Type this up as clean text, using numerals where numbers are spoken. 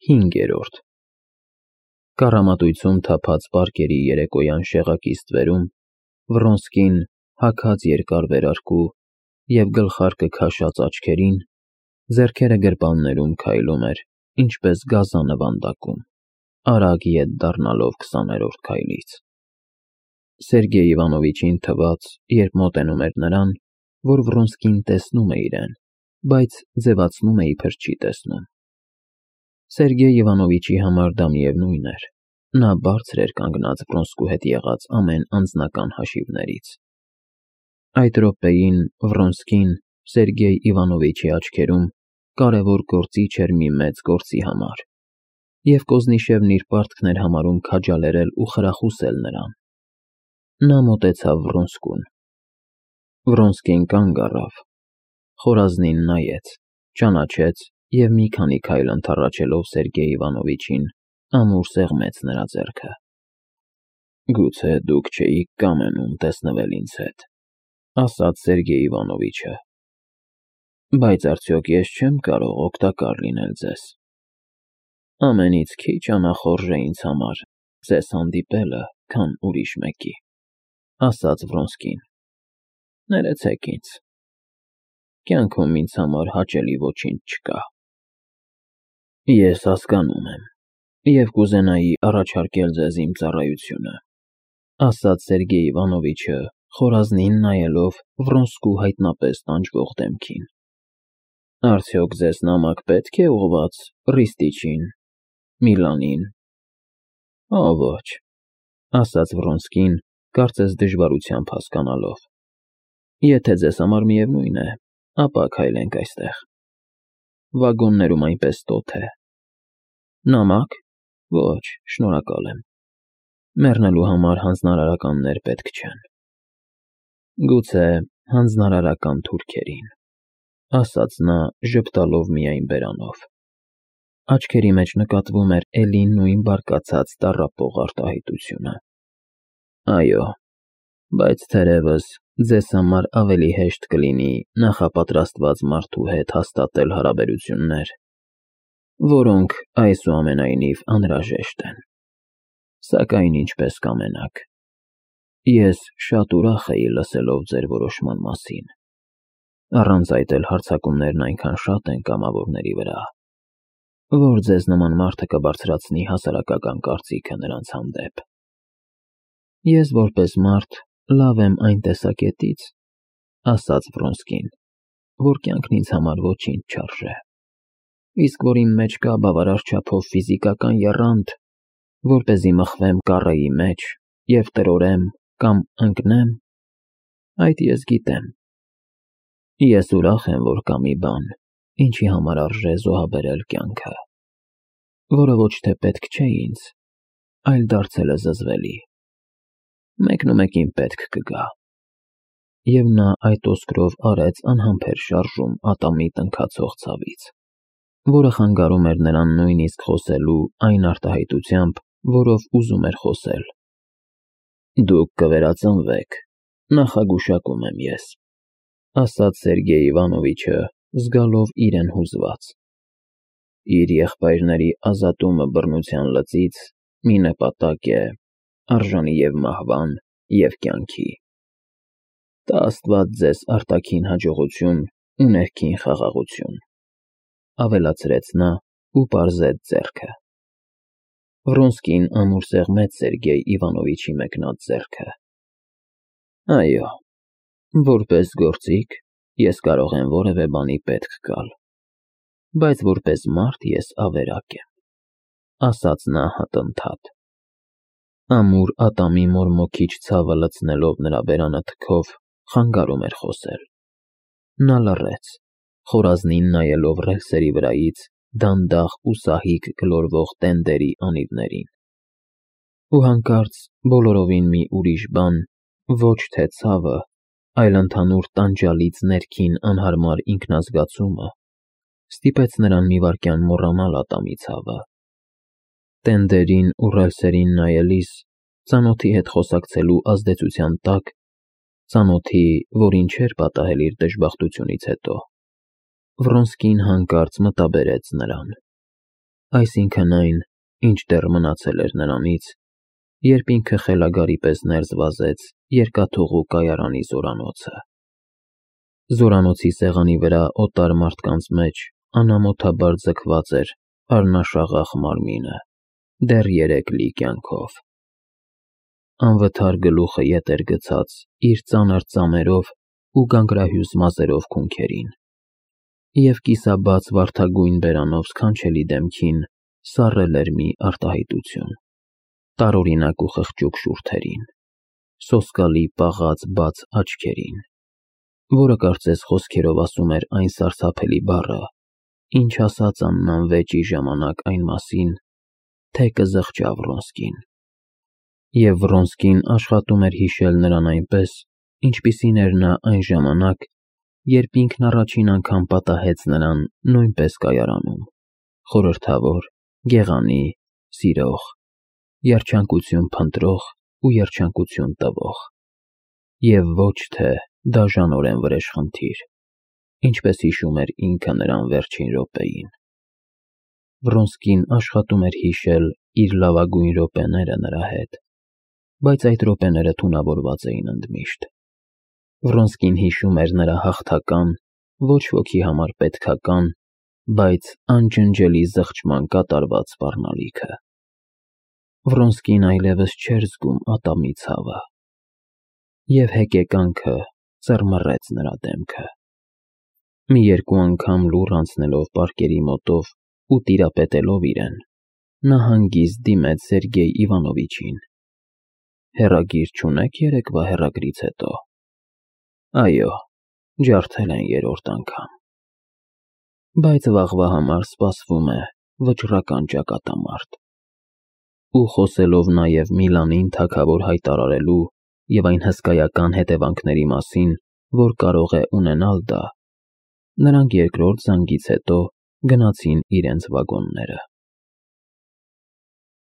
5-րդ Կառամատույցում թափած պարկերի երեկոյան շեղակի ստվերում Վռոնսկին հագած երկար վերարկու և գլխարկը քաշած աչքերին, ձեռքերը գրպաններում քայլում էր, ինչպես գազանը վանդակում, արագ ետ դառնալով 20-րդ քայլից։ Սերգեյ Իվանովիչին թվաց, երբ մոտենում էր նրան, որ Վռոնսկին տեսնում է իրեն, բայց ձևացնում է, իբր չի տեսնում։ Սերգեյ Իվանովիչի համար դա միևնույն էր, նա բարձր էր կանգնած Վռոնսկու հետ եղած ամեն անձնական հաշիվներից։ Այդ րոպեին Վռոնսկին Սերգեյ Իվանովիչի աչքերում կարևոր գործիչ էր մի մեծ գործի համար, և Կոզնիշևն իր պարտքն էր համարում քաջալերել ու խրախուսել նրան։ Նա մոտեցավ Վռոնսկուն։ Վռոնսկին կանգ առավ, խորազնին նայեց, ճանաչեց և մի քանի քայլ ընդառաջելով Սերգեյ Իվանովիչին, ամուր սեղմեց նրա ձեռքը։ «Գուցե դուք չէիք կամենում տեսնվել ինձ հետ,» ասաց Սերգեյ Իվանովիչը, «բայց արդյոք ես չեմ կարող օգտակար լինել ձեզ։ Ամենից քիչ անախորժ է ինձ համար ձեզ հանդիպելը, քան ուրիշ մեկի», ասաց Վռոնսկին։ «Ներեցեք ինձ, կյանքում ինձ համար հաճելի ոչինչ չկա»։ «Ես հասկանում եմ և կուզենայի առաջարկել ձեզ իմ ծառայությունը», ասաց Սերգեյ Իվանովիչը, խորազնին նայելով Վռոնսկու հայտնապես տանջվող դեմքին։ «Արդյոք ձեզ նամակ պետք է ուղղված Ռիստիչին, Միլանին»։ «Օ, ոչ», ասաց Վռոնսկին, կարծես դժվարությամբ հասկանալով։ «Եթե ձեզ համար միևնույն է, ապա քայլենք այստեղ։ Վագոններում այնպես տոթ է։ Նամա՞կ։ Ոչ, շնորհակալ եմ։ Մեռնելու համար հանձնարարականներ պետք չեն»։ «Գուցե հանձնարարական թուրքերին», ասաց նա, ժպտալով միայն բերանով։ Աչքերի մեջ նկատվում էր էլի նույն բարկացած տառապող արտահայտությունը։ «Այո, բայց թերևս ձեզ համար ավելի հեշտ կլինի նախապատրաստված մարդու հետ հաստատել հարաբերություններ, որոնք այսուամենայնիվ անհրաժեշտ են։ Սակայն ինչպես կամենաք, ես շատ ուրախ էի լսելով ձեր որոշման մասին։ Առանց այդ էլ հարձակումներն այնքան շատ են կամավորների վրա, որ ձեզ նման մարդը կբարձրացնի հասարակական կարծիքը նրանց հանդեպ։ Ես որպես մարդ լավ եմ այն տեսակետից, ասաց Վռոնսկին, որ կյանքն ինձ համար ոչինչ չարժե, իսկ որ իմ մեջ կա բավարար չափով ֆիզիկական եռանդ, որպեսզի մխվեմ կառեի մեջ և տրորեմ կամ ընկնեմ, այդ ես գիտեմ։ Ես ուրախ եմ, որ կա մի բան, ինչի համար արժե զոհաբերել կյանքը, որը ոչ թե պետք չէ ինձ, այլ դարձել է զզվելի։ Մեկնումեկին պետք կգա։ Եվ նա այդոսկրով արեց անհամբեր շարժում ատամի տնքացող ցավից, որը խանգարում էր նրան նույնիսկ խոսելու այն արտահայտությամբ, որով ուզում էր խոսել։ «Դուք կվերածնվեք, նախագուշակում եմ ես», ասաց Սերգեյ Իվանովիչը, զգալով իրեն հուզված։ «Իր եղբայրների ազատումը բռնության լծից մի նպատակ է, արժանի և մահվան, և կյանքի։ Տա Աստված ձեզ արտաքին հաջողություն ու ներքին խաղաղություն», ավելացրեց նա ու պարզեց ձեռքը։ Վռոնսկին ամուր սեղմեց Սերգեյ Իվանովիչի մեկնած ձեռքը։ «Այո, որպես գործիք ես կարող եմ որևէ բանի պետք գալ, բայց որպես մարդ ես ավերակ եմ», ասաց նա հատընթադ։ Ամուր ատամի մորմոքիչ ցավը լցնելով նրա բերանը թքով, խանգարում էր խոսել։ Նա լռեց, խորազնին նայելով ռելսերի վրայից դանդաղ ու սահիկ գլորվող տենդերի անիվներին։ Ու հանկարծ բոլորովին մի ուրիշ բան, ոչ թե ցավը, այլ ընդհանուր տանջալից ներքին անհարմար ինքնազգացումը, ստիպեց նրան մի վայրկյան մոռանալ ատամի ցավը։ Տենդերին ու ռելսերին նայելիս, ծանոթի հետ խոսակցելու ազդեցության տակ, ծանոթի, որին չէր պատահել իր դժբախտությունից հետո, Վռոնսկին հանկարծ մտաբերեց նրան։ Այսինքն այն, ինչ դեռ մնացել էր նրանից, երբ ինքը խելագարի պես ներս վազեց երկաթուղու կայարանի զորանոցը։ Զորանոցի սեղանի վրա օտար մարդկանց մեջ անամոթաբար ձգված էր առնաշաղախ մարմինը, դեռ 3 լի կյանքով։ Անվթար գլուխը ետ էր գցած իր ծանր ծամերով ու գանգրահյուս մազերով քունքերին, և կիսաբաց վարդագույն բերանով սքանչելի դեմքին սառել էր մի արտահայտություն, տարօրինակ ու խղճուկ շուրթերին, սոսկալի պաղած բաց աչքերին, որը կարծես խոսքերով ասում էր այն սարսափելի բառը, ինչ ասաց Աննան վեճի ժամանակ այն մասին, թե կզղջա Վռոնսկին։ Եվ Վռոնսկին աշխատում էր հիշել նրան այնպես, ինչպիսին էր նա այն ժամանակ, երբ ինքն առաջին անգամ պատահեց նրան նույնպես կայարանում, խորհրդավոր, գեղանի, սիրող, երջանկություն փնտրող ու երջանկություն տվող, և ոչ թե դաժանորեն վրեժխնդիր, ինչպես հիշում էր ինքը նրան վերջին րոպեին։ Վռոնսկին աշխատում էր հիշել իր լավագույն րոպեները նրա հետ, բայց այդ րոպեները թունավորված էին ընդմիշտ։ Վռոնսկին հիշում էր նրա հաղթական, ոչ ոքի համար պետքական, բայց անջնջելի զղջման կատարված սպառնալիքը։ Վռոնսկին այլևս չէր զգում ատամի ցավը, և հեկեկանքը ծռմռեց նրա դեմքը։ Մի 2 անգամ լուռ անցնելով պարկերի մոտով ու տիրապետելով իրեն, նա հանգիստ դիմեց Սերգեյ Իվանովիչին։ Հեռագիր չունե՞ք երեկվա հեռագրից հետո։ Այո, ջարդել են 3-րդ անգամ։ Բայց վաղվա համար սպասվում է վճռական ճակատամարտ։ Ու խոսելով նաև Միլանին թագավոր հայտարարելու և այն հսկայական հետևանքների մասին, որ կարող է ունենալ դա, նրանք երկրորդ զանգից հետո գնացին իրենց վագոնները։